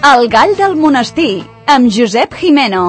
El gall del monestir, amb Josep Jimeno.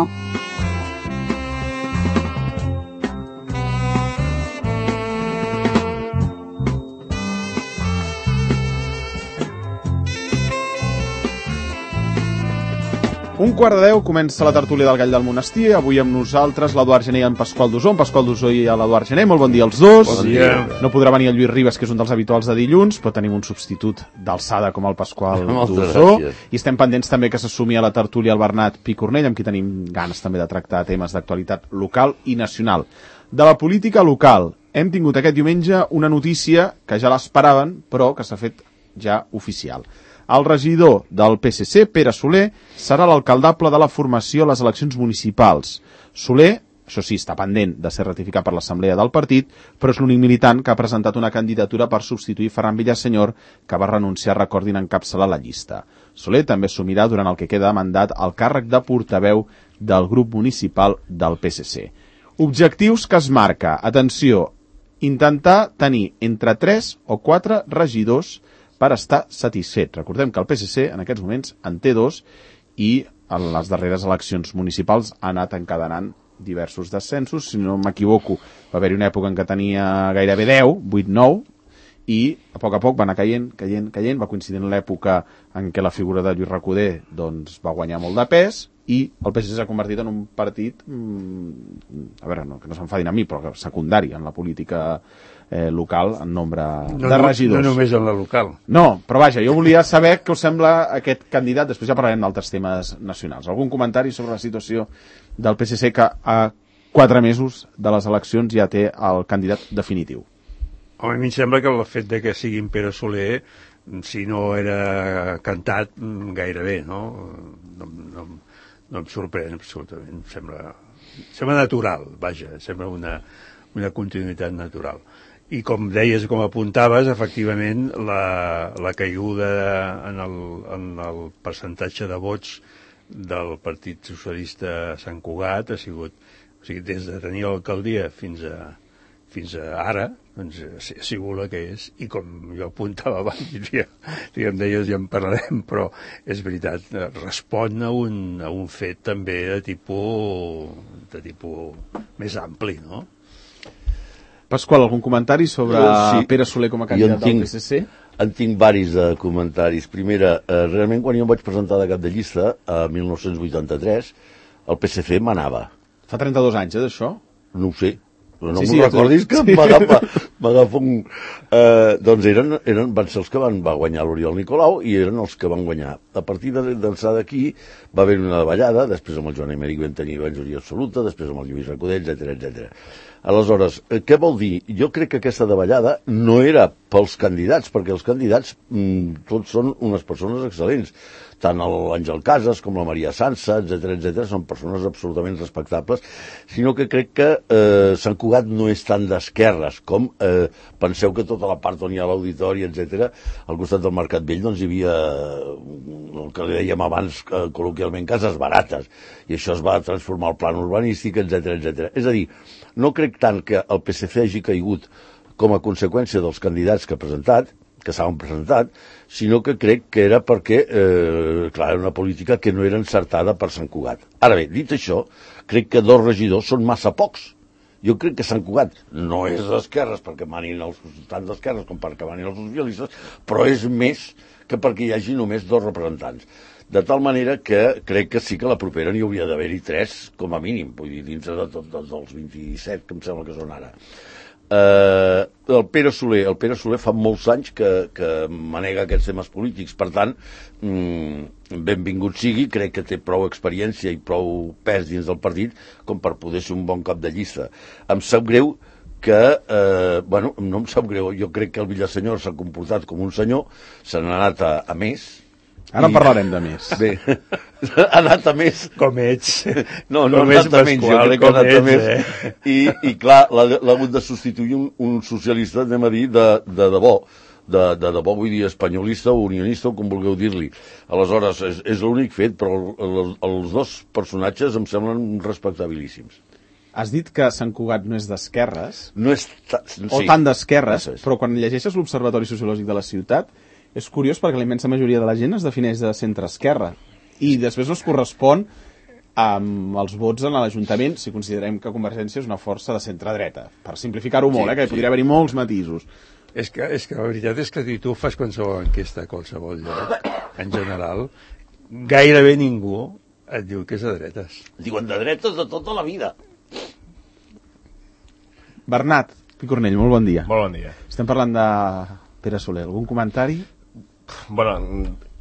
Un quart de 10 comença la tertúlia del gall del monestir. Avui amb nosaltres l'Eduard Gené i en Pasqual Dusó. En Pasqual Dusó i l'Eduard Gené. Molt bon dia als dos. Bon dia. No podrà venir el Lluís Ribas, que és un dels habituals de dilluns, però tenim un substitut d'alçada com el Pasqual Dusó. I estem pendents també que s'assumi a la tertúlia el Bernat Picornell, amb qui tenim ganes també de tractar temes d'actualitat local i nacional. De la política local, hem tingut aquest diumenge una notícia que ja l'esperaven, però que s'ha fet ja oficial. El regidor del PSC, Pere Soler, serà l'alcaldable de la formació a les eleccions municipals. Soler, això sí, està pendent de ser ratificat per l'Assemblea del partit, però és l'únic militant que ha presentat una candidatura per substituir Ferran Villasenyor, que va renunciar, recordin, a encapçalar la llista. Soler també assumirà durant el que queda de mandat el càrrec de portaveu del grup municipal del PSC. Objectius que es marca, atenció, intentar tenir entre 3 o 4 regidors per estar satisfet. Recordem que el PSC en aquests moments en té 2 i en les darreres eleccions municipals ha anat encadenant diversos descensos. Si no m'equivoco, va haver-hi una època en què tenia gairebé 10, 8-9, i a poc va anar caient, va coincidir en l'època en què la figura de Lluís Recoder doncs, va guanyar molt de pes, i el PSC s'ha convertit en un partit, a veure, no, que no s'enfadin a mi, però secundari en la política local en nombre de regidors. No només en la local. No, però vaja, jo volia saber què us sembla aquest candidat, després ja parlarem d'altres temes nacionals. Algun comentari sobre la situació del PSC que a 4 mesos de les eleccions ja té el candidat definitiu? Home, a mi em sembla que el fet de que sigui en Pere Soler, si no era cantat, gairebé, no? No em sorprèn absolutament. Em sembla natural, vaja, sembla una continuïtat natural. I com deies, com apuntaves, efectivament, la caiguda en el percentatge de vots del Partit Socialista a Sant Cugat ha sigut, o sigui, des de tenir l'alcaldia fins a ara, doncs ha sigut la que és, i com jo apuntava abans, ja em deies, ja en parlarem, però és veritat, respon a un fet també de tipus més ampli, no? Pasqual, algun comentari sobre Pere Soler com a candidat del PSC? En tinc varis comentaris. Primera, realment quan jo em vaig presentar de cap de llista, a 1983, el PSC manava. Fa 32 anys, d'això? No ho sé. No m'ho recordis que m'agafa un... Doncs van ser els que va guanyar l'Oriol Nicolau i eren els que van guanyar. A partir d'ençà d'aquí va haver una davallada, després amb el Joan Emèric vam tenir majoria absoluta, després amb el Lluís Recoder, etc. Aleshores, què vol dir? Jo crec que aquesta davallada no era pels candidats, perquè els candidats tots són unes persones excel·lents. Tant l'Àngel Casas com la Maria Sansa, etc. són persones absolutament respectables, sinó que crec que Sant Cugat no és tan d'esquerres com penseu que tota la part on hi ha l'auditori, etc. al costat del Mercat Vell doncs hi havia el que li dèiem abans col·loquialment cases barates, i això es va transformar al plan urbanístic, etc. És a dir, no crec tant que el PSC hagi caigut com a conseqüència dels candidats que s'han presentat, sinó que crec que era perquè, clar, era una política que no era encertada per Sant Cugat. Ara bé, dit això, crec que 2 regidors són massa pocs. Jo crec que Sant Cugat no és d'esquerres perquè manin tant d'esquerres com perquè manin els socialistes, però és més que perquè hi hagi només 2 representants. De tal manera que crec que sí que la propera n'hi hauria d'haver-hi 3, com a mínim, vull dir, dins de tots dels 27 que em sembla que són ara. El Pere Soler fa molts anys que manega aquests temes polítics, per tant, benvingut sigui, crec que té prou experiència i prou pes dins del partit com per poder ser un bon cap de llista. Em sap greu que, no em sap greu, jo crec que el Villasenyor s'ha comportat com un senyor, se n'ha anat a més. Ara en parlarem de més. Bé, ha anat a més. Com ets. No ha anat a menys, jo crec que ha anat a més. I clar, l'ha hagut de substituir un socialista, anem a dir, de debò. De debò, vull dir, espanyolista o unionista, o com vulgueu dir-li. Aleshores, és l'únic fet, però els 2 personatges em semblen respectabilíssims. Has dit que Sant Cugat no és d'esquerres, no és o tant d'esquerres, però quan llegeixes l'Observatori Sociològic de la Ciutat, és curiós perquè la immensa majoria de la gent es defineix de centre-esquerra. I després no es correspon amb els vots en l'Ajuntament si considerem que Convergència és una força de centre-dreta. Per simplificar-ho molt, que podria haver-hi molts matisos. És que la veritat és que si tu fas qualsevol enquesta a qualsevol lloc, en general, gairebé ningú et diu que és de dretes. Diuen de dretes de tota la vida. Bernat Picornell, molt bon dia. Molt bon dia. Estem parlant de Pere Soler. Algun comentari? Bueno,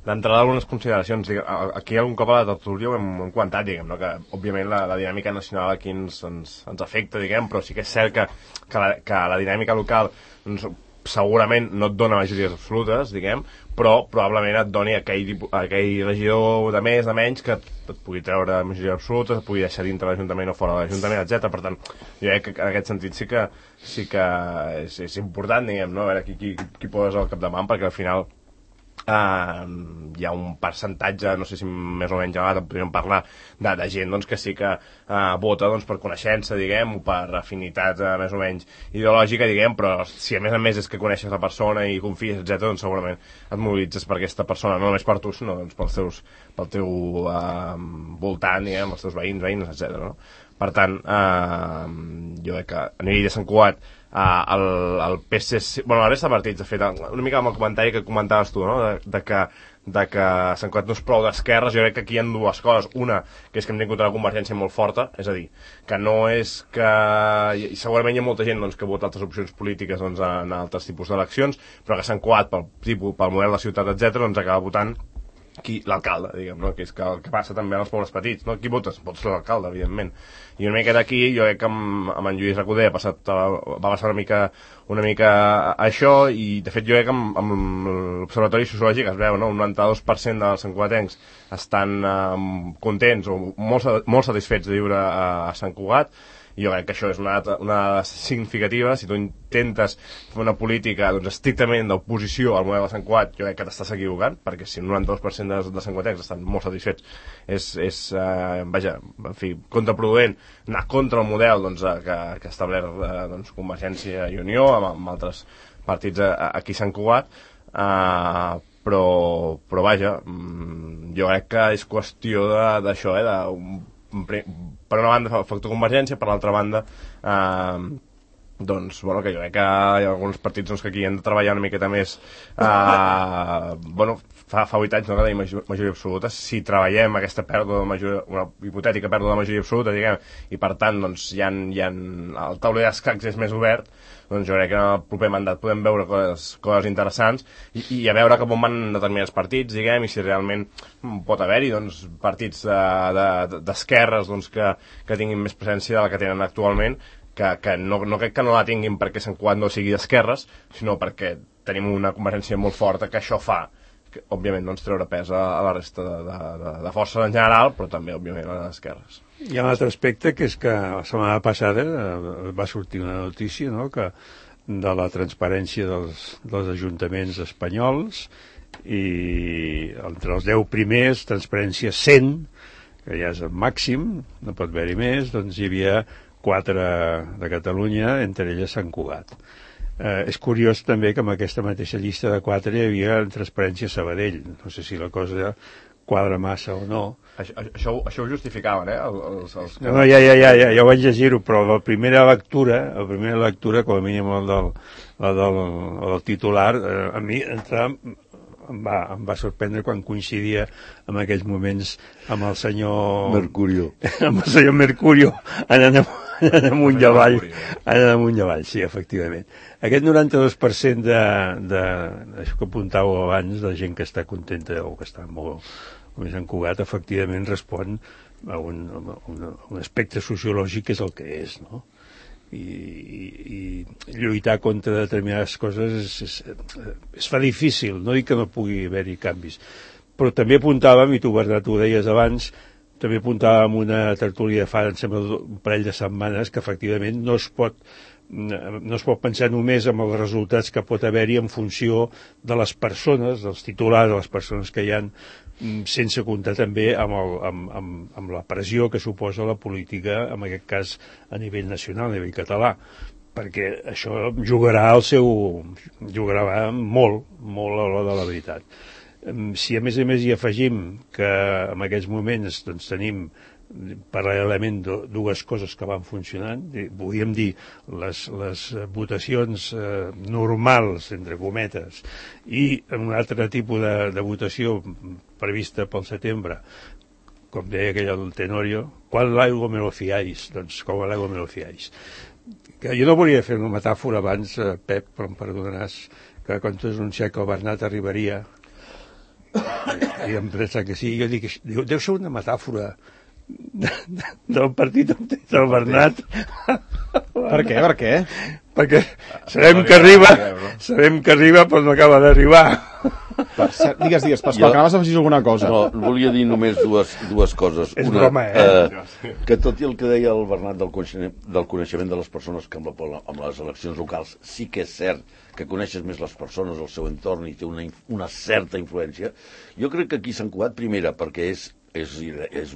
d'entrada algunes consideracions. Aquí algun cop a la tertúlia ho hem comentat, diguem, no? Que òbviament la dinàmica nacional aquí ens afecta, diguem, però sí que és cert que la dinàmica local segurament no et dona majories absolutes, diguem, però probablement et doni aquell regidor de més, de menys, que et pugui treure majories absolutes, et pugui deixar dintre l'Ajuntament o fora de l'Ajuntament, etc. Per tant, jo crec que en aquest sentit sí que és important, diguem, no? A veure qui poses al capdavant, perquè al final hi ha un percentatge, no sé si més o menys elevat, podríem parlar de gent doncs, que sí que vota doncs, per coneixença, diguem, o per afinitat més o menys ideològica, diguem, però si a més és que coneixes la persona i confies, etc., doncs segurament et mobilitzes per aquesta persona, no només per tu, sinó doncs, pel teu voltant, diguem, els teus veïns, etc. No? Per tant, jo crec que a nivell de Sant Cugat el PSC, bueno, la resta de partits, de fet, una mica amb el comentari que comentaves tu, no? de que Sant Cugat no és prou d'esquerres, jo crec que aquí hi ha dues coses. Una, que és que hem tingut una convergència molt forta, és a dir, que no és que... Segurament hi ha molta gent doncs, que vota altres opcions polítiques doncs, en altres tipus d'eleccions, però que Sant Cugat, pel model de ciutat, etc., doncs acaba votant l'alcalde, diguem, no? Que és que el que passa també als pobles petits, no? Qui votes? Votes l'alcalde, evidentment. I una mica d'aquí, jo crec que amb en Lluís Recoder va passar una mica això, i de fet jo crec que amb l'Observatori Sociològic es veu, no? Un 92% dels santcugatencs estan contents o molt satisfets de viure a Sant Cugat. I jo crec que això és una dada significativa. Si tu intentes fer una política doncs, estrictament d'oposició al model de Sant Cugat, jo crec que t'estàs equivocant, perquè si el 92% de santcugatencs estan molt satisfets, és vaja, en fi, contraproduent anar contra el model doncs, que ha establert doncs, Convergència i Unió amb altres partits aquí a Sant Cugat, però vaja, jo crec que és qüestió d'això, per una banda factor Convergència, per l'altra banda doncs, bueno, que jo crec que hi ha alguns partits doncs, que aquí han de treballar una miqueta més bueno, fa 8 anys no que tenim majoria absoluta. Si treballem aquesta pèrdua de majoria, una hipotètica pèrdua de majoria absoluta, diguem, i per tant doncs, el tauler d'escacs és més obert, doncs jo crec que en el proper mandat podem veure coses interessants i a veure cap on van determinats partits, diguem, i si realment pot haver-hi doncs, partits d'esquerres doncs, que tinguin més presència de la que tenen actualment, que no crec que no la tinguin perquè Sant Cugat no sigui d'esquerres, sinó perquè tenim una convergència molt forta que això fa que, òbviament, doncs, treure pes a la resta de forces en general, però també, òbviament, a les esquerres. Hi ha un altre aspecte, que és que la setmana passada va sortir una notícia, no?, que de la transparència dels ajuntaments espanyols, i entre els 10 primers, transparència 100, que ja és el màxim, no pot haver-hi més, doncs hi havia 4 de Catalunya, entre elles Sant Cugat. És curiós també que amb aquesta mateixa llista de 4 hi havia transparència Sabadell. No sé si la cosa quadra massa o no. Això ho justificaven, No, ja ho vaig llegir-ho, però la primera lectura, com a mínim el del titular, a mi em va sorprendre quan coincidia en aquells moments amb el senyor Mercurio. Amb el senyor Mercurio anant amunt i avall, sí, efectivament. Aquest 92% això que apuntàveu abans, de gent que està contenta o que està molt més encugat, efectivament respon a un aspecte sociològic que és el que és, no? I lluitar contra determinades coses es fa difícil, no dic que no pugui haver-hi canvis, però també apuntàvem, i tu, Bernat, ho deies abans, també apuntàvem una tertúlia fa, em sembla, un parell de setmanes, que efectivament no es pot pensar només en els resultats que pot haver-hi en funció de les persones, dels titulars, de les persones que hi ha, sense comptar també amb la pressió que suposa la política, en aquest cas a nivell nacional, a nivell català, perquè això jugarà molt a l'hora de la veritat. Si a més hi afegim que en aquests moments doncs, tenim paral·lelament dues coses que van funcionant, podríem dir les votacions normals, entre cometes, i un altre tipus de votació prevista pel setembre, com deia aquell del Tenorio, quan l'aigua me lo fiáis, doncs com l'aigua me lo fiáis. Que jo no volia fer una metàfora abans, Pep, però em perdonaràs, que quan tu has anunciat que el Bernat arribaria, i em pensa que sí, jo dic, deu ser una metàfora del partit del Bernat. Per què? Perquè sabem que arriba però no acaba d'arribar. Digues, Pasqual, que anaves a afegir alguna cosa. No, volia dir només dues coses. És broma, que tot i el que deia el Bernat del coneixement de les persones que amb les eleccions locals, sí que és cert que coneixes més les persones, el seu entorn, i té una certa influència. Jo crec que aquí s'han cuat, primera, perquè és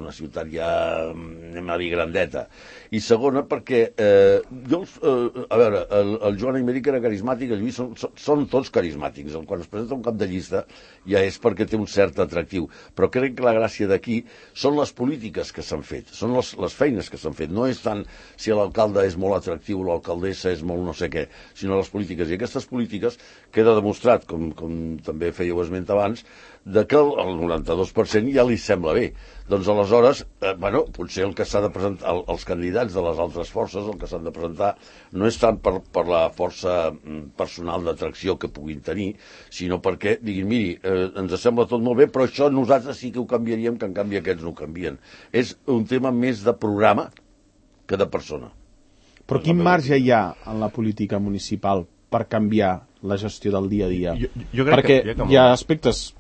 una ciutat ja, anem a dir, grandeta, i segona perquè a veure, el Joan Aymeric era carismàtic, el Lluís són tots carismàtics, quan es presenta un cap de llista ja és perquè té un cert atractiu, però crec que la gràcia d'aquí són les polítiques que s'han fet, són les feines que s'han fet, no és tant si l'alcalde és molt atractiu o l'alcaldessa és molt no sé què, sinó les polítiques, i aquestes polítiques queda demostrat, com també fèieu esment abans, de que el 92% ja li sembla bé. Doncs aleshores, potser el que s'ha de presentar, els candidats de les altres forces, el que s'han de presentar no és tant per la força personal d'atracció que puguin tenir, sinó perquè diguin, miri, ens sembla tot molt bé, però això nosaltres sí que ho canviaríem, que en canvi aquests no ho canvien. És un tema més de programa que de persona. Però quin marge hi ha en la política municipal per canviar la gestió del dia a dia? Jo crec perquè que hi ha aspectes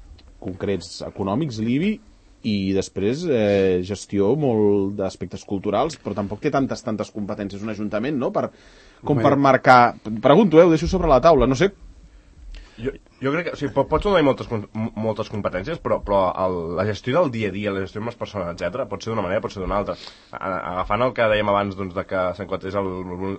concrets econòmics, l'IBI, i després gestió molt d'aspectes culturals, però tampoc té tantes competències un ajuntament, no?, per marcar... Pregunto, ho deixo sobre la taula, no sé. Jo crec que, o sigui, pots donar moltes competències, però la gestió del dia a dia, la gestió amb les persones, etc., pot ser d'una manera, pot ser d'una altra. Agafant el que dèiem abans, doncs, de que Sant Cugat és el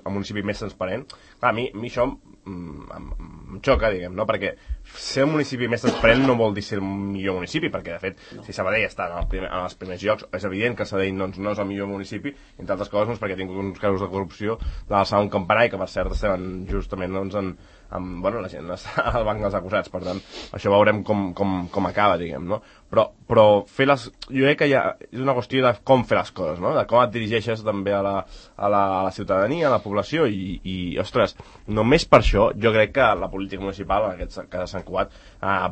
municipi més transparent, clar, a mi això em xoca, diguem, no?, perquè ser un municipi més transparent no vol dir ser un millor municipi, perquè, de fet, si Sabadell està en els primers llocs, és evident que Sabadell no és el millor municipi, entre altres coses, perquè ha tingut uns casos de corrupció de l'alçar un campanar, i que, per cert, estem justament, doncs, la gent està al banc dels acusats, per tant, això veurem com acaba, diguem, no? Però jo crec que és una qüestió de com fer les coses, no? De com et dirigeixes també a la ciutadania, a la població, i ostres, només per això jo crec que la política municipal, en aquest cas de Sant Cugat,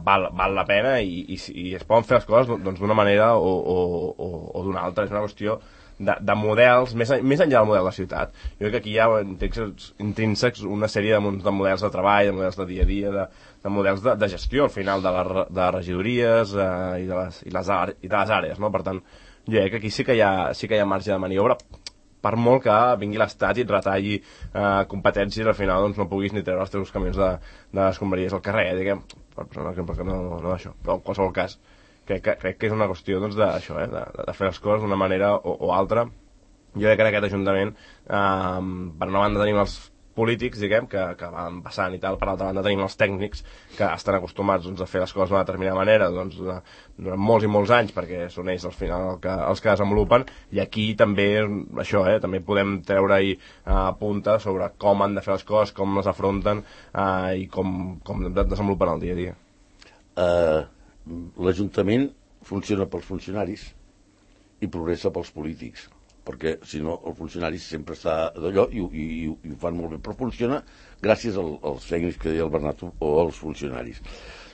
val la pena, i es poden fer les coses doncs d'una manera o d'una altra. És una qüestió de models, més enllà del model de ciutat. Jo crec que aquí hi ha intrínsecs una sèrie de models de treball, de models de dia a dia, de models de gestió, al final, de regidories i de les àrees, no? Per tant, jo crec que aquí sí que hi ha marge de maniobra, per molt que vingui l'Estat i et retalli competències, al final doncs, no puguis ni treure els teus camions de escombraries al carrer, diguem, per posar un exemple que no d'això, però en qualsevol cas crec que és una qüestió doncs, d'això, de fer les coses d'una manera o altra. Jo crec que en aquest Ajuntament, per una banda tenim els polítics, diguem, que van passant i tal, per l'altra banda tenim els tècnics que estan acostumats doncs, a fer les coses d'una determinada manera doncs, durant molts i molts anys, perquè són ells al final els que desenvolupen, i aquí també això, també podem treure-hi punta sobre com han de fer les coses, com les afronten i com desenvolupen el dia a dia. L'Ajuntament funciona pels funcionaris i progressa pels polítics, perquè si no el funcionari sempre està d'allò i ho fan molt bé, però funciona gràcies als tècnics que deia el Bernat o als funcionaris.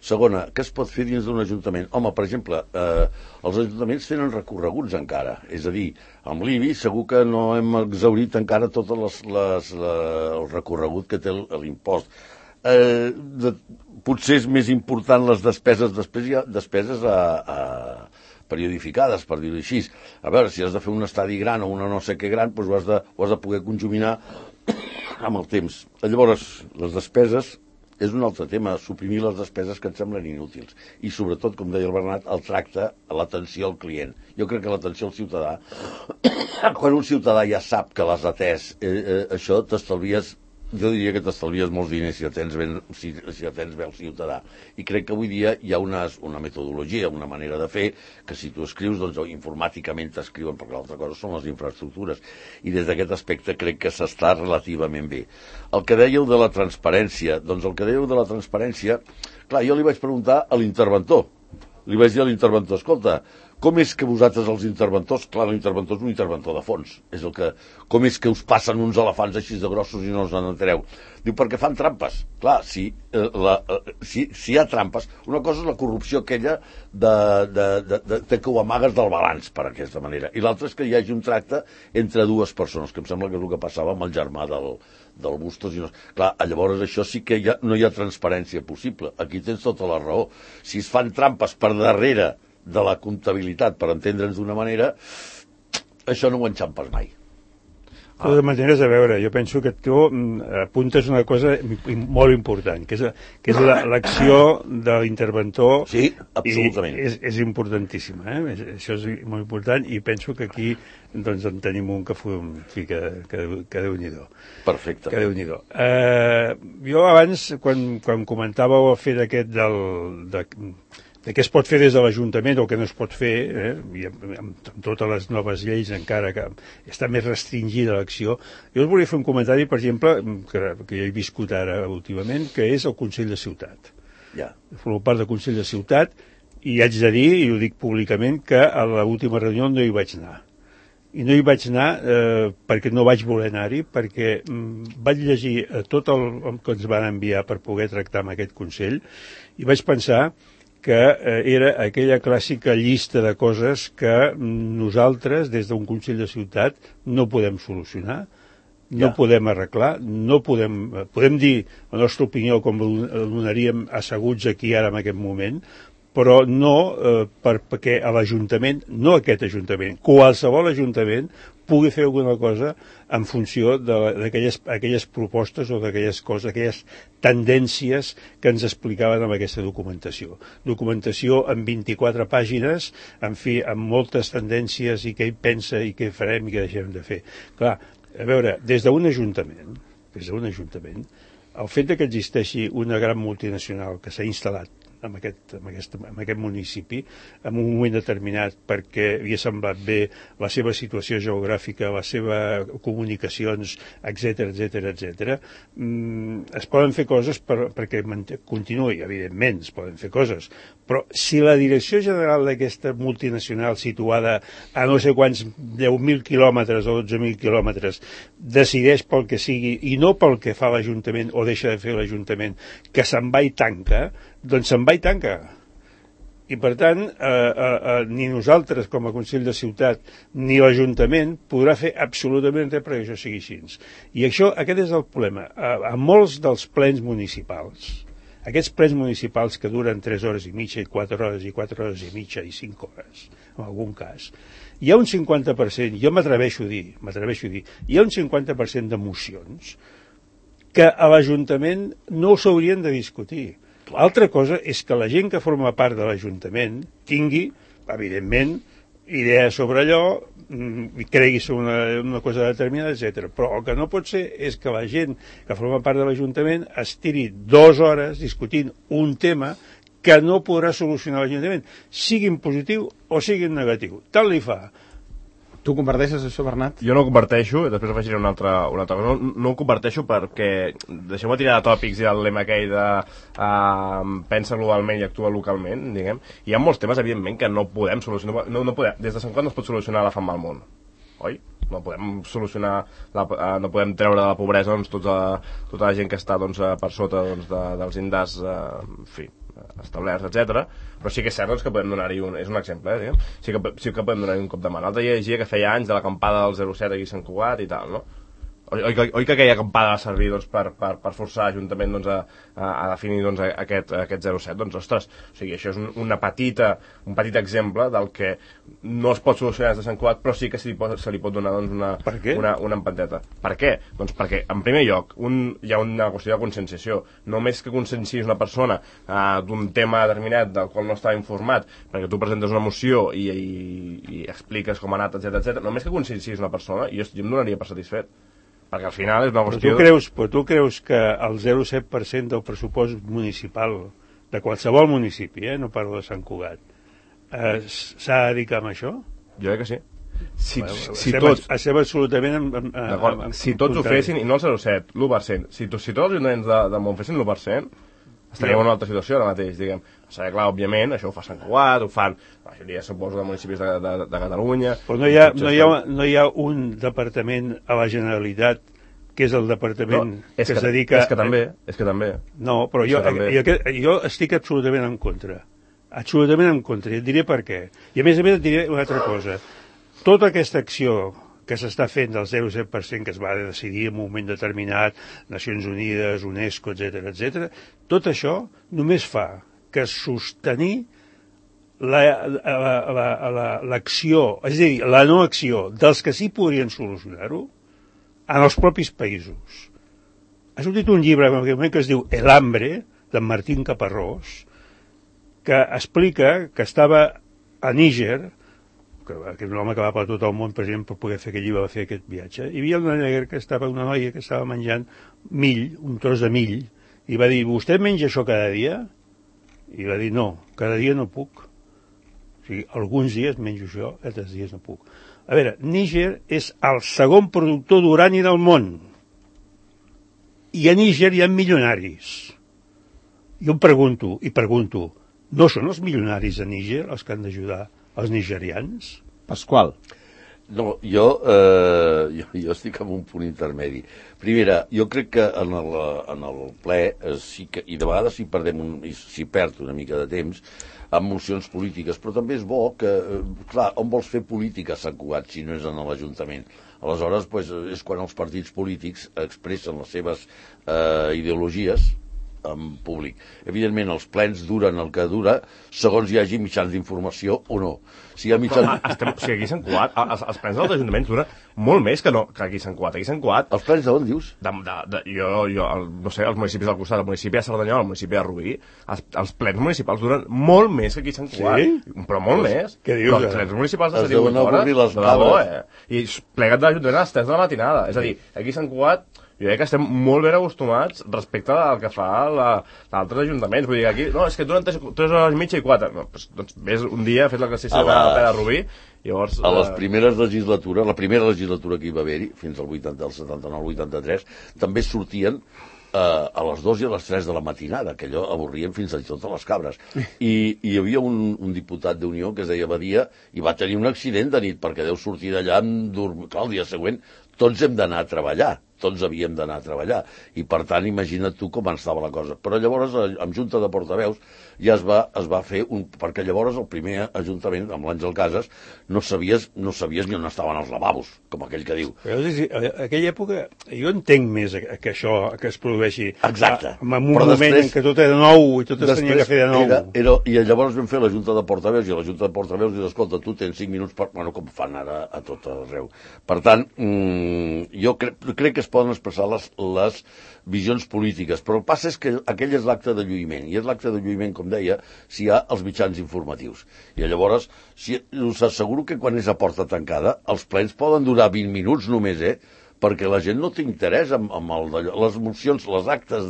Segona, què es pot fer dins d'un ajuntament? Home, per exemple, els ajuntaments tenen recorreguts encara, és a dir, amb l'IBI segur que no hem exhaurit encara tot el recorregut que té l'impost. Potser és més important les despeses, després hi ha despeses periodificades, per dir-ho així. A veure, si has de fer un estadi gran o una no sé què gran, doncs ho has de poder conjuminar amb el temps. Llavors, les despeses és un altre tema, suprimir les despeses que et semblen inútils. I sobretot, com deia el Bernat, el tracte, l'atenció al client. Jo crec que l'atenció al ciutadà, quan un ciutadà ja sap que l'has atès, això t'estalvies jo diria que t'estalvies molts diners si atens bé el ciutadà. I crec que avui dia hi ha una metodologia, una manera de fer, que si tu escrius, doncs informàticament t'escriuen, perquè l'altra cosa són les infraestructures. I des d'aquest aspecte crec que s'està relativament bé. El que dèieu de la transparència, clar, jo li vaig preguntar a l'interventor. Li vaig dir a l'interventor, escolta, com és que vosaltres els interventors, clar, l'interventor és un interventor de fons, com és que us passen uns elefants així de grossos i no us n'entereu? Diu, perquè fan trampes. Clar, si hi ha trampes, una cosa és la corrupció aquella de que ho amagues del balanç, per aquesta manera, i l'altra és que hi hagi un tracte entre dues persones, que em sembla que és el que passava amb el germà del Bustos. Clar, llavors això sí que no hi ha transparència possible. Aquí tens tota la raó. Si es fan trampes per darrere de la comptabilitat, per entendre'ns d'una manera, això no ho enxampes mai. De totes maneres, a veure, jo penso que tu apuntes una cosa molt important, que és l'acció de l'interventor. Sí, absolutament. És importantíssima, això és molt important, i penso que aquí doncs en tenim un que Déu-n'hi-do. Perfecte. Que Déu-n'hi-do. Jo abans, quan comentàveu el fet aquest de què es pot fer des de l'Ajuntament o què no es pot fer, i amb totes les noves lleis encara que està més restringida l'acció, jo us volia fer un comentari, per exemple, que he viscut ara últimament, que és el Consell de Ciutat. Ja. Formo part del Consell de Ciutat i haig de dir, i ho dic públicament, que a l'última reunió no hi vaig anar. I no hi vaig anar perquè no vaig voler anar-hi, perquè vaig llegir tot el que ens van enviar per poder tractar amb aquest Consell i vaig pensar que era aquella clàssica llista de coses que nosaltres, des d'un Consell de Ciutat, no podem solucionar, no podem arreglar, podem dir la nostra opinió com la donaríem asseguts aquí ara en aquest moment, però no perquè a l'Ajuntament, no aquest Ajuntament, qualsevol Ajuntament pugui fer alguna cosa en funció d'aquelles propostes o d'aquelles coses, aquelles tendències que ens explicaven amb aquesta documentació. Documentació en 24 pàgines, en fi, amb moltes tendències i què hi pensa i què farem i què deixem de fer. Clar, a veure, des d'un Ajuntament, el fet que existeixi una gran multinacional que s'ha instal·lat en aquest municipi en un moment determinat perquè havia semblat bé la seva situació geogràfica, les seves comunicacions, etc. Es poden fer coses perquè continuï, evidentment es poden fer coses, però si la direcció general d'aquesta multinacional situada a no sé quants 10.000 quilòmetres o 12.000 quilòmetres decideix pel que sigui i no pel que fa l'Ajuntament o deixa de fer l'Ajuntament, que se'n va i tanca, doncs se'n va i tanca. I per tant, ni nosaltres com a Consell de Ciutat ni l'Ajuntament podrà fer absolutament res perquè això sigui així. I aquest és el problema. A molts dels plens municipals, aquests plens municipals que duren 3 hores i mitja i 4 hores i 4 hores i mitja i 5 hores, en algun cas, hi ha un 50%, jo m'atreveixo a dir, hi ha un 50% de mocions que a l'Ajuntament no s'haurien de discutir. L'altra cosa és que la gent que forma part de l'Ajuntament tingui, evidentment, idees sobre allò, cregui sobre una cosa determinada, etc. Però el que no pot ser és que la gent que forma part de l'Ajuntament es tiri 2 hores discutint un tema que no podrà solucionar l'Ajuntament, sigui en positiu o sigui en negatiu. Tant li fa. Tu comparteixes això, Bernat? Jo no ho comparteixo, després afegiré una altra cosa. No ho comparteixo perquè, deixeu-me tirar de tòpics i el lema aquell de pensa globalment i actua localment, diguem. Hi ha molts temes, evidentment, que no podem solucionar. Des de Sant Cugat no es pot solucionar la fam al món, oi? No podem solucionar, no podem treure de la pobresa doncs, tota la gent que està per sota dels índexs, en fi, establerts, etc. Però sí que és cert doncs, que podem donar-hi és un exemple, diguem. Sí que podem donar-hi un cop de mà. L'altre dia llegia que feia anys de l'acampada del 07 aquí a Sant Cugat i tal, no? Oi que aquella acampada va servir doncs, per forçar l'Ajuntament doncs, a definir doncs, aquest 07? Doncs, ostres, o sigui, això és un petit exemple del que no es pot solucionar des de Sant Cugat, però sí que se li pot donar doncs, una empanteta. Per què? Doncs perquè, en primer lloc, hi ha una qüestió de conscienciació. Només que conscienciïs una persona d'un tema determinat del qual no estava informat, perquè tu presentes una moció i expliques com ha anat, etc. Només que conscienciïs una persona, jo em donaria per satisfet. Perquè al final és una qüestió... Però tu creus que el 0,7% del pressupost municipal de qualsevol municipi, no parlo de Sant Cugat, s'ha de dedicar a això? Jo crec que sí. Estem absolutament... Si tots ho fessin, i no el 0,7, l'1%, si tots els ajuntaments de món fessin l'1%, estaríem en una altra situació ara mateix, diguem. O sigui, clar, òbviament, això ho fa Sant Cugat, ho fan la majoria, suposo, de municipis de Catalunya... Però no hi ha un departament a la Generalitat que és el departament que es dedica... És que també. No, però jo estic absolutament en contra. Absolutament en contra, i et diré per què. I a més et diré una altra cosa. Tota aquesta acció que s'està fent del 0,7% que es va decidir en un moment determinat, Nacions Unides, UNESCO, etc., tot això només fa que sostenir l'acció, és a dir, la no acció dels que sí podrien solucionar-ho en els propis països. Ha sortit un llibre que es diu El hambre, d'en Martín Caparrós, que explica que estava a Níger, que és un home que va per tot el món, president, per poder fer aquest llibre, va fer aquest viatge. Hi havia una noia que estava menjant mill, un tros de mill, i va dir, vostè menja això cada dia? I va dir, no, cada dia no puc. O sigui, alguns dies menjo això, altres dies no puc. A veure, Níger és el segon productor d'urani del món. I a Níger hi ha milionaris. Jo em pregunto, no són els milionaris de Níger els que han d'ajudar els nigerians? Pasqual. No, jo estic en un punt intermedi. Primera, jo crec que en el ple sí que, i de vegades s'hi perd una mica de temps amb mocions polítiques, però també és bo que, clar, on vols fer política a Sant Cugat si no és en l'Ajuntament? Aleshores, és quan els partits polítics expressen les seves ideologies en públic. Evidentment, els plens duren el que dura segons hi hagi mitjans d'informació o no. Si hi ha mitjans... O sigui, aquí a Sant Cugat, els plens dels ajuntaments duren molt més que aquí a Sant Cugat. Aquí a Sant Cuat... Els plens d'on, dius? Jo, no sé, els municipis del costat, el municipi de Cerdanyola, el municipi de Rubí, els plens municipals duren molt més que aquí a Sant Cuat. Sí? Però molt més. Què dius? Els plens municipals de 78 hores, de debò, I plegat de l'Ajuntament a les 3 de la matinada. És a dir, aquí a Sant Cuat jo crec que estem molt ben acostumats respecte al que fa l'altres ajuntaments. Vull dir, aquí, no, és que duren 3 hores i mitja i 4. No, doncs ves un dia, fes l'exercici de la Rubí, llavors... A les primeres legislatures, la primera legislatura que hi va haver-hi, fins al 79-83, també sortien a les 2 i a les 3 de la matinada, que allò avorrien fins a tot a les cabres. I hi havia un diputat d'Unió que es deia Badia i va tenir un accident de nit perquè deu sortir d'allà clar, el dia següent tots hem d'anar a treballar, tots havíem d'anar a treballar, i per tant imagina't tu com estava la cosa. Però llavors amb Junta de Portaveus ja es va fer perquè llavors el primer ajuntament, amb l'Àngel Casas, no sabies ni on estaven els lavabos, com aquell que diu. Però, a aquella època jo entenc més que això que es produeixi. Exacte. En un moment en què tot era nou i tot es tenia que fer de nou. I llavors vam fer la Junta de Portaveus i la Junta de Portaveus diu, escolta, tu tens 5 minuts com fan ara a tot arreu. Per tant, jo crec que es poden expressar les visions polítiques, però el que passa és que aquell és l'acte de lluïment, i és l'acte de lluïment, com deia, si hi ha els mitjans informatius. I llavors, us asseguro que quan és a porta tancada, els plens poden durar 20 minuts només, perquè la gent no té interès en les mocions, les actes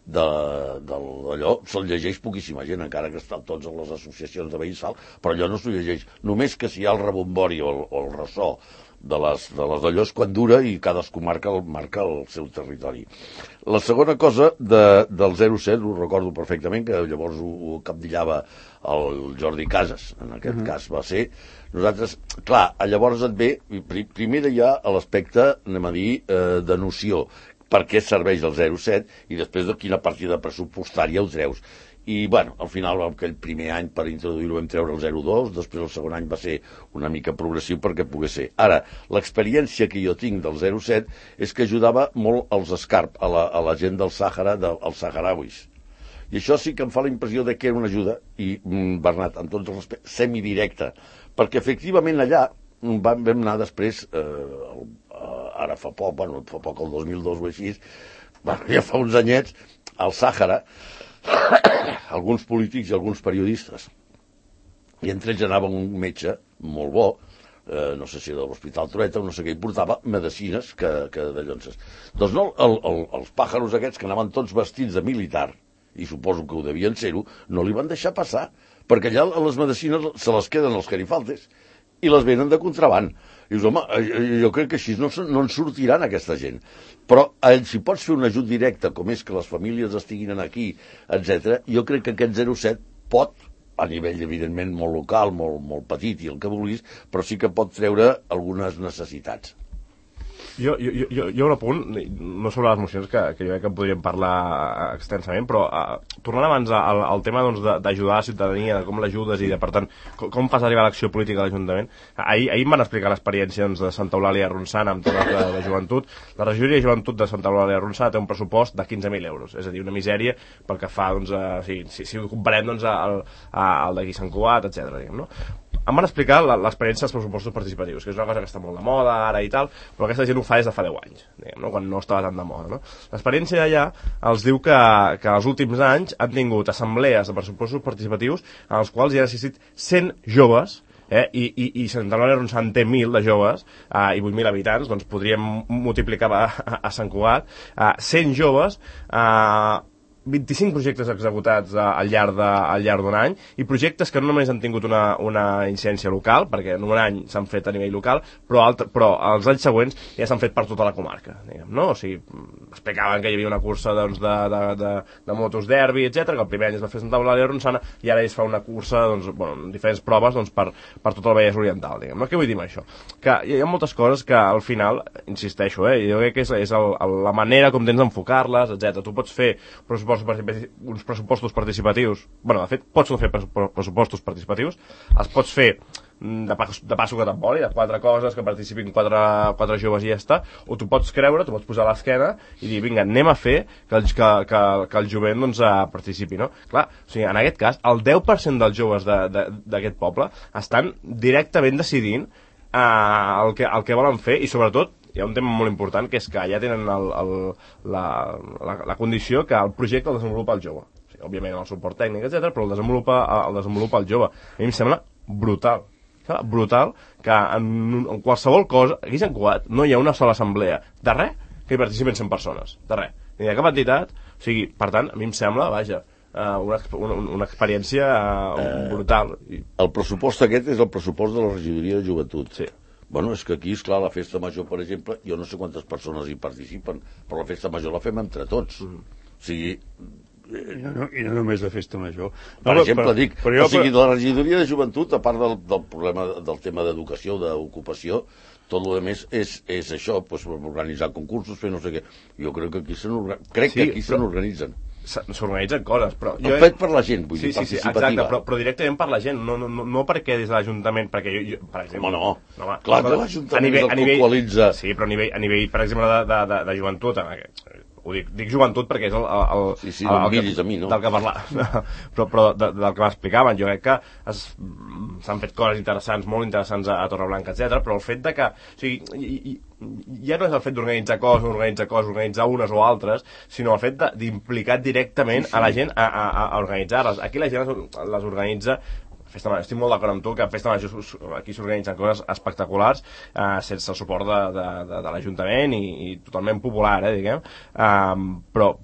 d'allò, se'l llegeix poquíssima gent, encara que estan tots a les associacions de veïns, però allò no s'ho llegeix. Només que si hi ha el rebombori o el ressò de les d'allò és quan dura i cadascú marca el seu territori. La segona cosa del 07, ho recordo perfectament, que llavors ho capdillava el Jordi Casas, en aquest cas va ser. Nosaltres, clar, llavors et ve, primer hi ha l'aspecte, anem a dir, de noció, per què serveix el 07 i després de quina partida pressupostària ho treus. I, bueno, al final, aquell primer any per introduir-ho vam treure el 0,2, després el segon any va ser una mica progressiu perquè pogués ser. Ara, l'experiència que jo tinc del 0,7 és que ajudava molt als escarp, a la gent del Sàhara, als saharauis. I això sí que em fa la impressió de que era una ajuda, i Bernat, amb tots els respectes, semidirecta, perquè efectivament allà vam anar després, ara fa poc, el 2002 o així, ja fa uns anyets, al Sàhara, alguns polítics i alguns periodistes, i entre ells anava un metge molt bo, no sé si de l'Hospital Trueta o no sé què, i portava medicines que de llonces. Doncs no, els pàjaros aquests que anaven tots vestits de militar, i suposo que ho devien ser-ho, no li van deixar passar, perquè allà les medicines se les queden els carifaltes i les venen de contraband. I dius, home, jo crec que així no en sortiran aquesta gent. Però si pots fer un ajut directe, com és que les famílies estiguin aquí, etc., jo crec que aquest 07 pot, a nivell, evidentment, molt local, molt petit i el que vulguis, però sí que pot treure algunes necessitats. Jo un apunt, no sobre les mocions, que jo crec que podríem parlar extensament, però tornant abans al tema d'ajudar la ciutadania, de com l'ajudes i de, per tant, com fas arribar l'acció política a l'Ajuntament. Ahir em van explicar l'experiència de Santa Eulàlia de Ronçana amb temes de joventut. La regidoria de joventut de Santa Eulàlia de Ronçana té un pressupost de 15.000 euros, és a dir, una misèria pel que fa, si ho comparem al d'aquí Sant Cugat, etc. no? Em van explicar l'experiència dels pressupostos participatius, que és una cosa que està molt de moda ara i tal, però aquesta gent ho fa des de fa 10 anys, no? Quan no estava tan de moda. No? L'experiència d'allà els diu que els últims anys han tingut assemblees de pressupostos participatius en els quals hi han assistit 100 joves, i Santa Eulàlia de Ronçana té 1.000 de joves i 8.000 habitants, doncs podríem multiplicar a Sant Cugat, 100 joves, 25 projectes executats al llarg d'un any, i projectes que no només han tingut una incidència local, perquè en un any s'han fet a nivell local, però els anys següents ja s'han fet per tota la comarca, diguem, no? O sigui, explicaven que hi havia una cursa de motos derbi, etc, que el primer any es va fer a Santa Eulàlia de Ronçana i ara es fa una cursa, en diferents proves per tot el Vallès Oriental, diguem, no? Què vull dir amb això? Que hi ha moltes coses que al final, insisteixo, jo crec que és la manera com tens d'enfocar-les, etc. Tu pots fer uns pressupostos participatius, de fet pots no fer pressupostos participatius, els pots fer de passo que t'emboli, de 4 coses, que participin 4 joves i ja està, o tu pots creure, tu pots posar a l'esquena i dir, vinga, anem a fer que el jovent participi, no? Clar, o sigui, en aquest cas, el 10% dels joves d'aquest poble estan directament decidint el que volen fer, i sobretot hi ha un tema molt important, que és que allà tenen la condició que el projecte el desenvolupa el jove. O sigui, òbviament el suport tècnic, etc, però el desenvolupa el jove. A mi em sembla brutal que en qualsevol cosa, aquí a Sant Cugat no hi ha una sola assemblea de res que hi participin 100 persones, de res, ni de cap entitat. O sigui, per tant, a mi em sembla, una experiència brutal. El pressupost aquest és el pressupost de la regidoria de joventut. Sí. Bueno, és que aquí, esclar, la festa major, per exemple, jo no sé quantes persones hi participen, però la festa major la fem entre tots. O sigui... I no només la festa major. Per exemple, o sigui, de la regidoria de joventut, a part del problema del tema d'educació, d'ocupació, tot el més és això, organitzar concursos, fer no sé què. Jo crec que aquí se n'organitzen. S'organitzen coses, però... Fet per la gent, vull dir, participativa. Exacte, però directament per la gent, no perquè des de l'Ajuntament, perquè jo, per exemple... No, clar que l'Ajuntament és el que qualitza... Sí, però a nivell, per exemple, de joventut, ho dic joventut perquè és del que parlava, però del que m'explicaven, jo crec que s'han fet coses interessants, molt interessants a Torreblanca, etc, però el fet de que, o sigui, ja no és el fet d'organitzar coses, organitzar unes o altres, sinó el fet d'implicar directament a la gent a organitzar-les. Aquí la gent les organitza. Estic molt d'acord amb tu que a Festa Major aquí s'organitzen coses espectaculars sense el suport de l'Ajuntament i totalment popular, diguem, però,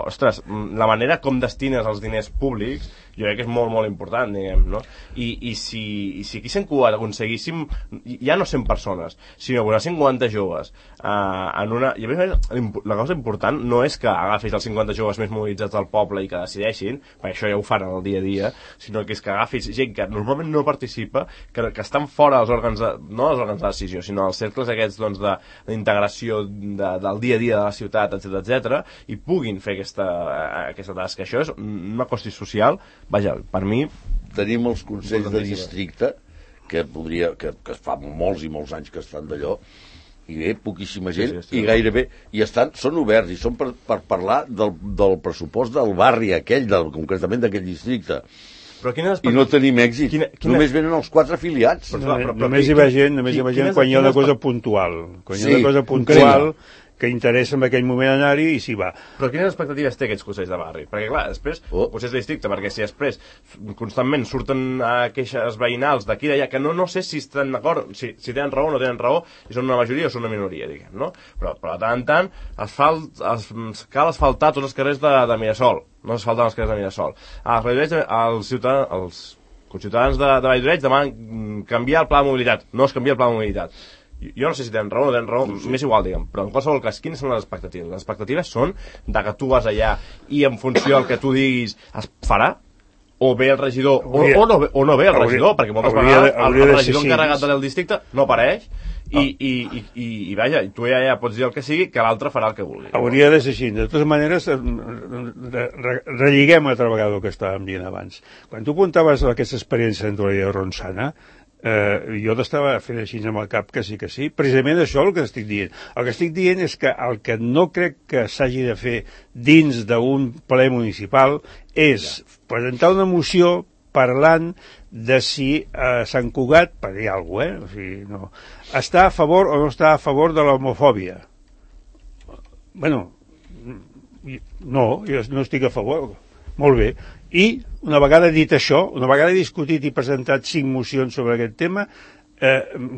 ostres, la manera com destines els diners públics jo crec que és molt, molt important, diguem, no? I si aquí a Sant Cugat aconseguíssim ja no 100 persones, sinó 50 joves en una... I a més, la cosa important no és que agafis els 50 joves més mobilitzats del poble i que decideixin, perquè això ja ho fan el dia a dia, sinó que és que agafis gent que normalment no participa, que estan fora dels òrgans no dels òrgans de decisió, sinó els cercles aquests d'integració del dia a dia de la ciutat, etc, i puguin fer aquesta tasca. Això és una qüestió social. Vaja, per mi... Tenim els consells de districte, que fa molts i molts anys que estan d'allò, i bé, poquíssima gent, i gairebé són oberts, i són per parlar del pressupost del barri aquell, concretament d'aquell districte. I no tenim èxit. Només venen els 4 afiliats. Només hi va gent quan hi ha una cosa puntual. Quan hi ha una cosa puntual que interessa en aquell moment anar-hi i s'hi va. Però quines expectatives té aquests consells de barri? Perquè, clar, després, consells de districte, perquè si després constantment surten queixes veïnals d'aquí i d'allà, que no sé si estan d'acord, si tenen raó o no tenen raó, si són una majoria o són una minoria, diguem, no? Però de tant en tant cal asfaltar tots els carrers de Mirasol. No s'asfalten els carrers de Mirasol. Els conciutadans de Valldoreix demanen canviar el pla de mobilitat. No es canvia el pla de mobilitat. Jo no sé si tenen raó o no tenen raó, m'és igual, diguem, però en qualsevol cas, quines són les expectatives? Les expectatives són de que tu vas allà i en funció del que tu diguis es farà, o ve el regidor, o no ve el regidor, perquè moltes vegades el regidor encarregat del districte no apareix, i vaja, tu ja pots dir el que sigui, que l'altre farà el que vulgui. Hauria de ser així. De totes maneres, relligem altra vegada el que estàvem dient abans. Quan tu apuntaves aquesta experiència dentro de Ronçana, jo t'estava fent així amb el cap que sí, precisament això el que estic dient. El que estic dient és que el que no crec que s'hagi de fer dins d'un ple municipal és presentar una moció parlant de si Sant Cugat, per dir alguna cosa, o sigui, no, està a favor o no està a favor de l'homofòbia. Bueno, no, jo no estic a favor. Molt bé. I una vegada dit això, una vegada discutit i presentat 5 mocions sobre aquest tema,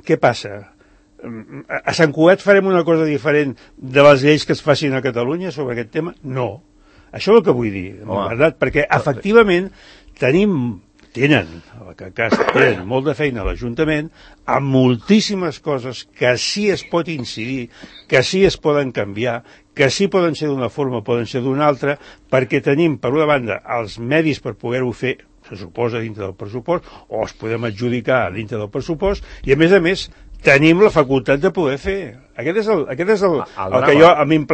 què passa? A Sant Cugat farem una cosa diferent de les lleis que es facin a Catalunya sobre aquest tema? No. Això és el que vull dir, en veritat, perquè efectivament tenen molt de feina a l'Ajuntament amb moltíssimes coses que sí es pot incidir, que sí es poden canviar, que sí poden ser d'una forma, poden ser d'una altra, perquè tenim, per una banda, els medis per poder-ho fer, se suposa, dintre del pressupost, o els podem adjudicar dintre del pressupost, i a més, tenim la facultat de poder fer. Aquest és el que jo a mi em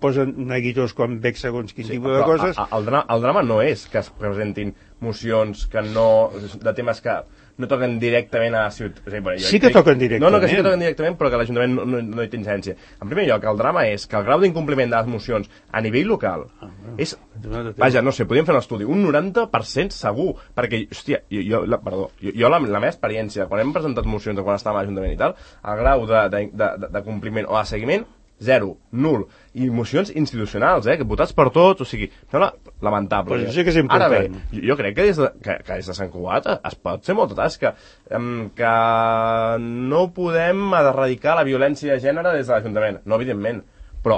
posen neguitós quan veig segons quin tipus de coses. El drama no és que es presentin mocions de temes que no toquen directament a la ciutat. Sí que toquen directament. No, que sí que toquen directament, però que l'Ajuntament no hi té incidència. En primer lloc, el drama és que el grau d'incompliment de les mocions a nivell local és... Vaja, no sé, podríem fer un estudi, un 90% segur, perquè, hòstia, jo la meva experiència, quan hem presentat mocions de quan estàvem a l'Ajuntament i tal, el grau de compliment o de seguiment, 0, nul, i mocions institucionals, que votats per tots, o sigui, sembla lamentable. Pues sí que és important. Ara bé, jo crec que des de Sant Cugat es pot fer molta tasca, que no podem erradicar la violència de gènere des de l'Ajuntament, no, evidentment, però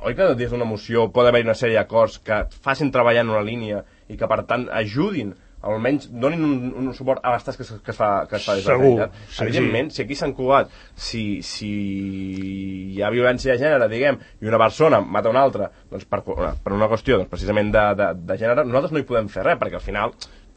oi que des d'una moció pot haver-hi una sèrie d'acords que facin treballar en una línia i que, per tant, ajudin, almenys donin un suport a les tasques que es fa des de la Generalitat. Evidentment, si aquí a Sant Cugat, si hi ha violència de gènere, diguem, i una persona mata una altra, doncs per una qüestió precisament de gènere, nosaltres no hi podem fer res, perquè al final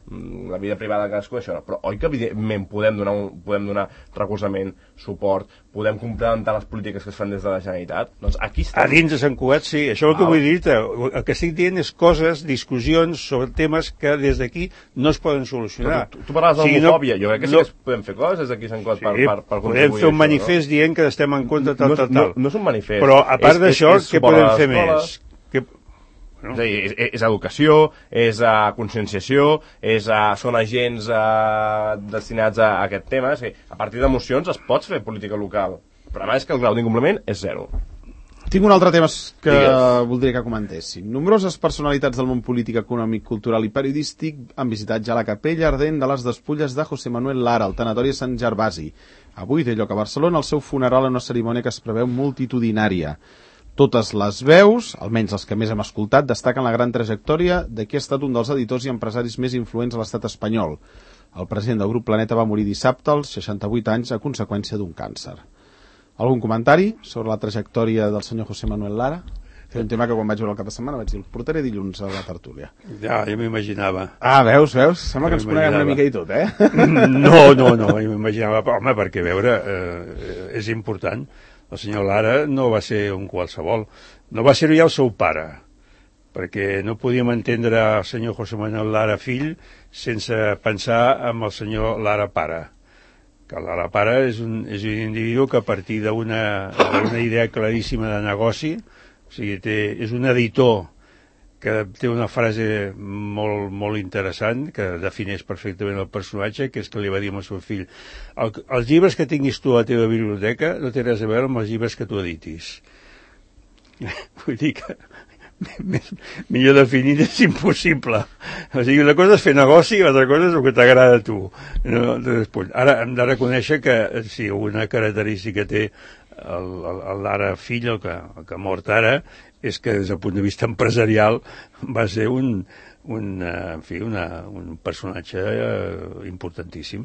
la vida privada de cadascú, això no. Però oi que evidentment podem donar recolzament, suport, podem complementar les polítiques que es fan des de la Generalitat? Doncs aquí estem. A dins de Sant Cugat, sí. Això és el que vull dir. El que estic dient és coses, discussions sobre temes que des d'aquí no es poden solucionar. Tu parlaves d'homofòbia. Jo crec que sí que podem fer coses des d'aquí a Sant Cugat per contribuir. Podem fer un manifest dient que estem en contra tal. No és un manifest. Però a part d'això, què podem fer més? No. És educació, és conscienciació, són agents destinats a aquest tema. És que a partir d'emocions es pot fer política local, però a més que el grau d'incompliment és 0. Tinc un altre tema que voldria que comentéssim. Nombroses personalitats del món polític, econòmic, cultural i periodístic han visitat ja la capella ardent de les despulles de José Manuel Lara, al tanatori de Sant Gervasi. Avui té lloc a Barcelona el seu funeral en una cerimònia que es preveu multitudinària. Totes les veus, almenys les que més hem escoltat, destaquen la gran trajectòria de qui ha estat un dels editors i empresaris més influents a l'estat espanyol. El president del grup Planeta va morir dissabte als 68 anys a conseqüència d'un càncer. Algun comentari sobre la trajectòria del senyor José Manuel Lara? És un tema que quan vaig veure el cap de setmana vaig dir, el portaré dilluns a la tertúlia. Ja, jo m'imaginava. Veus? Sembla que ens coneguem una mica i tot, No, jo m'imaginava, home, perquè veure, és important. El senyor Lara no va ser un qualsevol. No va ser ja el seu pare, perquè no podíem entendre el senyor José Manuel Lara fill sense pensar en el senyor Lara pare. Que Lara pare és un individu que a partir d'una idea claríssima de negoci, o sigui, és un editor que té una frase molt interessant, que defineix perfectament el personatge, que és que li va dir al seu fill: els llibres que tinguis tu a la teva biblioteca no té res a veure amb els llibres que tu editis. Vull dir que millor definit és impossible. O sigui, una cosa és fer negoci i l'altra cosa és el que t'agrada a tu. No, ara hem de reconèixer que si una característica té el Lara fill, el que ha mort ara, és que des del punt de vista empresarial va ser un personatge importantíssim.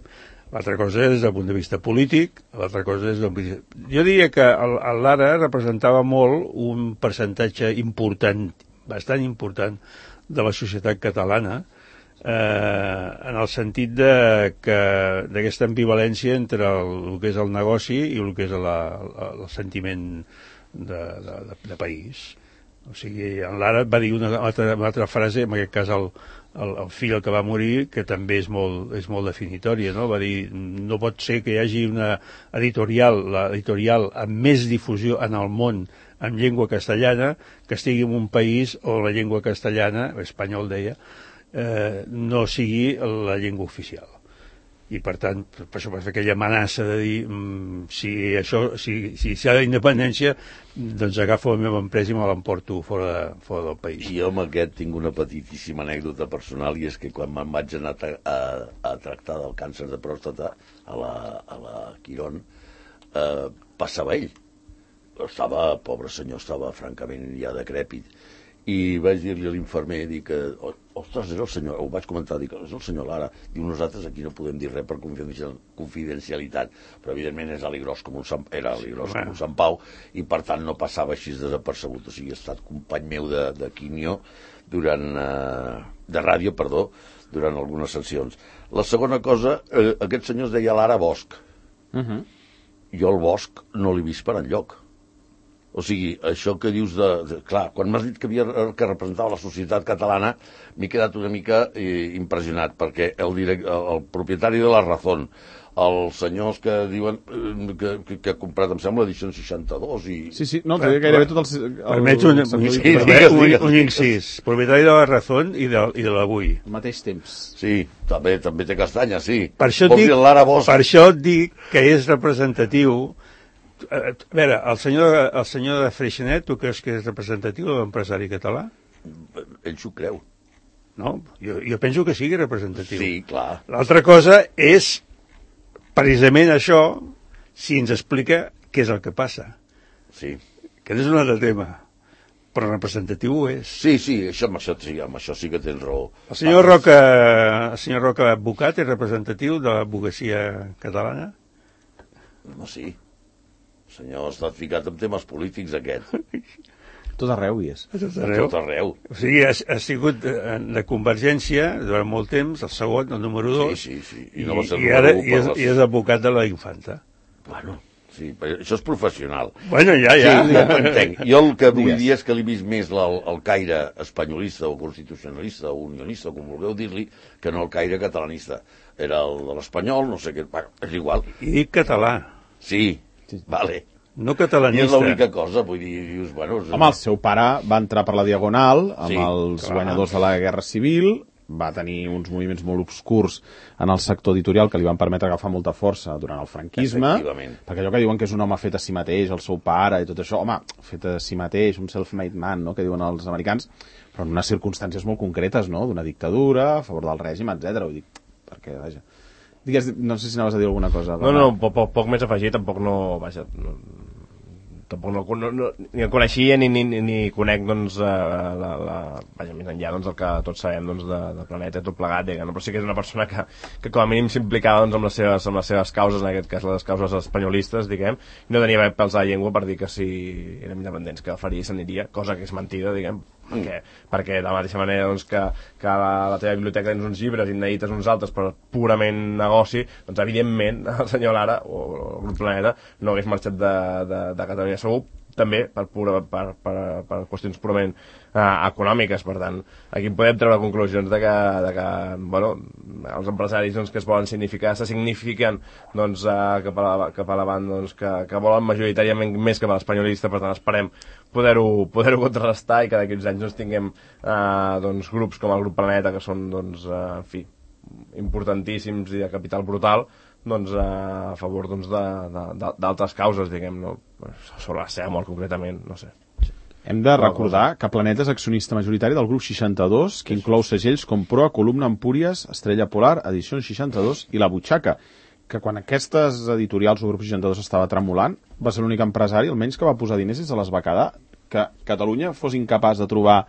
L'altra cosa és des del punt de vista polític, l'altra cosa és... Jo diria que el Lara representava molt un percentatge important, bastant important, de la societat catalana, en el sentit d'aquesta ambivalència entre el que és el negoci i el que és el sentiment de país. O sigui, en Lara va dir una altra frase, en aquest cas el fill que va morir, que també és molt definitòria, no? Va dir: no pot ser que hi hagi una l'editorial amb més difusió en el món en llengua castellana que estigui en un país on la llengua castellana, espanyol deia, no sigui la llengua oficial. I per tant, per això va fer aquella amenaça de dir: si s'hi ha d'independència, doncs agafo la meva empresa i me l'emporto fora del país. Jo amb aquest tinc una petitíssima anècdota personal, i és que quan me'n vaig anar a tractar del càncer de pròstata a la Quirón, passava ell. Pobre senyor, estava francament ja decrèpit. I vaig dir-li a l'infermer, dic, ostres, és el senyor, ho vaig comentar, dic, és el senyor Lara. Diu: nosaltres aquí no podem dir res per confidencialitat, però evidentment era aligros com un Sant Pau, i per tant no passava així desapercebut. O sigui, ha estat company meu de quimio de ràdio, durant algunes sessions. La segona cosa, aquest senyor es deia Lara Bosch. Jo el Bosch no l'he vist per enlloc. O sigui, això que dius clar, quan m'has dit que representava la societat catalana, m'he quedat una mica impressionat, perquè el propietari de La Razón, els senyors que diuen que ha comprat, em sembla, l'edició 62 i... Sí, no, té gairebé tot el... Permets un incís. Propietari de La Razón i de l'Avui. Al mateix temps. Sí, també té castanya, sí. Per això et dic que és representatiu. A veure, el senyor de Freixenet, tu creus que és representatiu de l'empresari català? Ell s'ho creu. No? Jo penso que sigui representatiu. Sí, clar. L'altra cosa és precisament això, si ens explica què és el que passa. Sí. Que és un altre tema, però representatiu ho és. Sí, amb això sí que tens raó. El senyor Roca advocat és representatiu de l'advocacia catalana? No, sí. El senyor està ficat en temes polítics, aquest. Tot arreu hi és. Tot arreu. O sigui, ha sigut de Convergència durant molt temps, el segon, el número 2. Sí. I no va ser i és advocat de la Infanta. Bueno, sí, però això és professional. Bueno, ja. Sí, ja t'entenc. Jo el que vull dir és que l'he vist més el caire espanyolista o constitucionalista o unionista, com vulgueu dir-li, que no el caire catalanista. Era el de l'espanyol, no sé què... Bueno, és igual. I dic català. Sí, vale. No catalanista. I és l'única cosa, vull dir, dius, bueno... Home, el seu pare va entrar per la Diagonal amb els guanyadors de la Guerra Civil, va tenir uns moviments molt obscurs en el sector editorial que li van permetre agafar molta força durant el franquisme, perquè allò que diuen que és un home fet a si mateix, el seu pare i tot això, home, fet a si mateix, un self-made man, no?, que diuen els americans, però en unes circumstàncies molt concretes, no?, d'una dictadura, a favor del règim, etc. Vull dir, perquè, vaja... Digues, no sé si anaves a dir alguna cosa. No, poc més afegit, tampoc no... Vaja, tampoc ni el coneixia ni conec, doncs, vaja, més enllà, doncs, el que tots sabem, doncs, de Planeta, tot plegat, diguem, però sí que és una persona que com a mínim s'implicava, doncs, amb les seves causes, en aquest cas les causes espanyolistes, diguem, i no tenia pèls a la llengua per dir que si érem independents que el faria i s'aniria, cosa que és mentida, diguem, perquè de la mateixa manera, doncs, que a la teva biblioteca tens uns llibres i n'edites uns altres per purament negoci, doncs evidentment el senyor Lara o el grup Planeta no hagués marxat de Catalunya segur també per qüestions purament econòmiques. Per tant, aquí podem treure conclusions de que bueno, els empresaris doncs, que es volen se signifiquen doncs, cap a la banda doncs, que volen majoritàriament més cap a l'espanyolista. Per tant, esperem poder-ho contrarrestar i que d'aquí uns anys doncs, tinguem doncs, grups com el grup Planeta, que són doncs, en fi, importantíssims i de capital brutal, doncs, a favor doncs, d'altres causes, diguem, no? Sobre la seva mort concretament, no sé. Hem de recordar que Planeta és accionista majoritari del grup 62, que inclou segells com Proa, Columna, Empúries, Estrella Polar, Edicions 62 i La Butxaca, que quan aquestes editorials o grup 62 estava tremolant, va ser l'únic empresari, almenys, que va posar diners des de les va quedar. Que Catalunya fos incapaç de trobar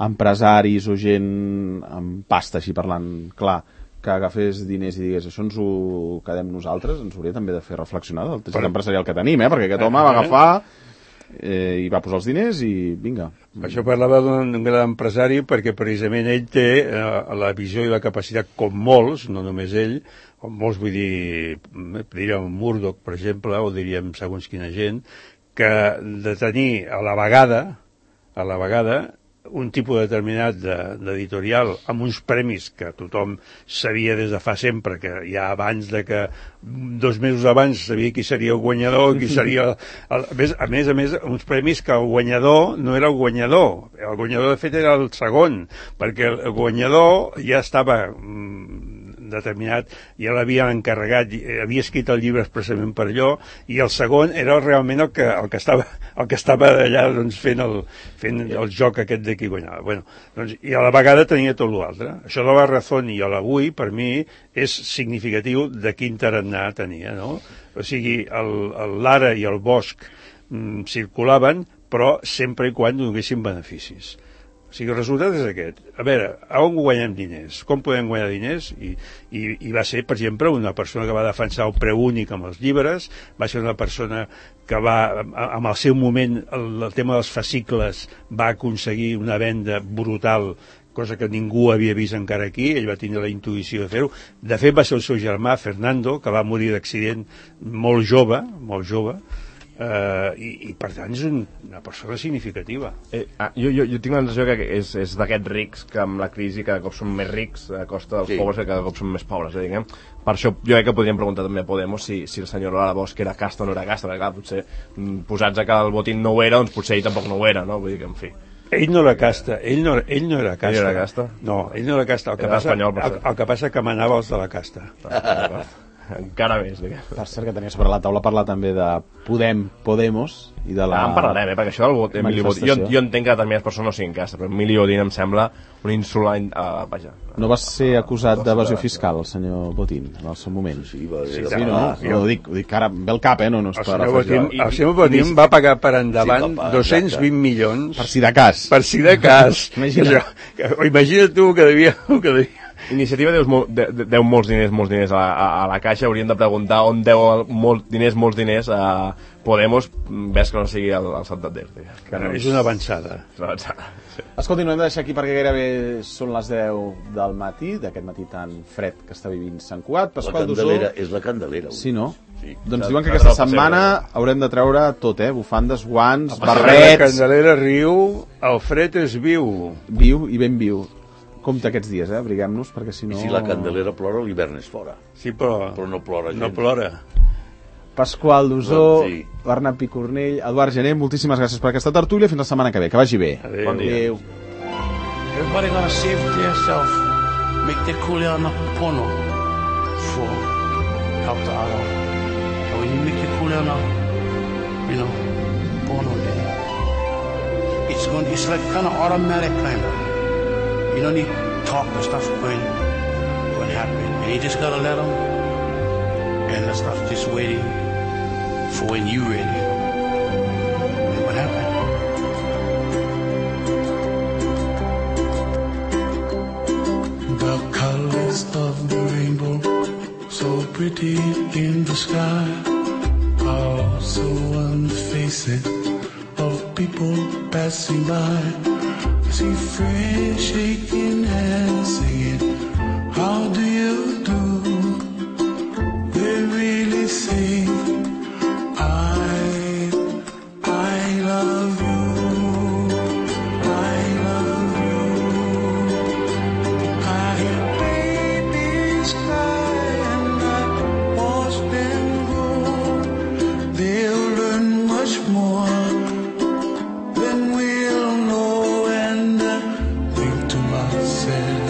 empresaris o gent amb pasta, així parlant clar, que agafés diners i digués això ens ho quedem nosaltres, ens hauria també de fer reflexionar del teixit empresarial que tenim, perquè aquest home va agafar i va posar els diners i vinga. Això parlava d'un gran empresari perquè precisament ell té la visió i la capacitat, com molts, no només ell, com molts, vull dir, diríem Murdoch, per exemple, o diríem segons quina gent, que de tenir a la vegada un tipus determinat d'editorial amb uns premis que tothom sabia des de fa sempre, que ja abans de que 2 mesos abans sabia qui seria el guanyador, qui seria a més, uns premis que el guanyador no era el guanyador de fet era el segon, perquè el guanyador ja estava determinat, ja l'havien encarregat, havia escrit el llibre expressament per allò, i el segon era realment el que estava allà doncs, fent el joc aquest de qui guanyava. Bueno, doncs, i a la vegada tenia tot l'altre. Això de la Razón i l'Avui, per mi, és significatiu de quin tarannà tenia, no? O sigui, l'Ara i el Bosch circulaven, però sempre i quan donessin beneficis. O sigui, el resultat és aquest. A veure, on guanyem diners? Com podem guanyar diners? I va ser, per exemple, una persona que va defensar el preu únic amb els llibres, va ser una persona que va, en el seu moment, el tema dels fascicles, va aconseguir una venda brutal, cosa que ningú havia vist encara aquí. Ell va tindre la intuïció de fer-ho. De fet, va ser el seu germà, Fernando, que va morir d'accident molt jove, i per tant és una persona significativa. Jo tinc la sensació que és d'aquests rics que amb la crisi cada cop són més rics a costa dels pobres que cada cop són més pobres, diguem. Per això jo crec que podríem preguntar també a Podemos si el senyor Lara Bosch era casta o no era casta, perquè clar, potser posats a que el Botín no ho era, doncs potser ell tampoc no ho era, no? Vull dir que, en fi. Ell no era casta, ell no era casta. Ell era casta? No, ell no era casta. El que passa que manava els de la casta. Encara més, diguem. Per cert, que tenia sobre la taula parlar també de Podemos i de la... En parlarem, perquè això del Emili Botín... Jo entenc que determinades persones no siguin casta, però Emili Botín em sembla un insult... Vaja. No va ser acusat d'evasió fiscal, el senyor Botín, en el seu moment? Sí, va sí, no? Ho dic que ara ve el cap, no és per afegir. El senyor Botín va pagar per endavant 220 milions... Per si de cas. Per si de cas. Imagina't tu que devia... Iniciativa deu molts diners a la Caixa. Hauríem de preguntar on deu molts diners a Podemos, ves que no sigui el Santander. És una avançada. Sí. Escolti, no hem de deixar aquí perquè gairebé són les 10 del matí, d'aquest matí tan fred que està vivint Sant Cugat. Pasqual Dusó... És la Candelera. Sí, no? Sí. Doncs diuen que aquesta setmana haurem de treure tot, bufandes, guants, barrets... La Candelera riu, el fred és viu. Viu i ben viu. Compte aquests dies, abriguem-nos, perquè si no... I si la Candelera plora, l'hivern és fora. Sí, però no plora gens. No plora. Pasqual Dusó, sí. Bernat Picornell, Eduard Gené, moltíssimes gràcies per aquesta tertúlia. Fins la setmana que ve. Que vagi bé. Adéu. Bon dia. Adéu. Everybody gonna save it to yourself. Make the kuliana pono for help the other. And when you make the kuliana, pono there, it's like kind of automatic kind of. You don't need to talk, the stuff's going to happen. And you just gotta let them, and the stuff's just waiting for when you're ready. And what happened? The colors of the rainbow, so pretty in the sky, are also on the faces of people passing by. See friends shaking hands, singing, how do you do? They really say, I love said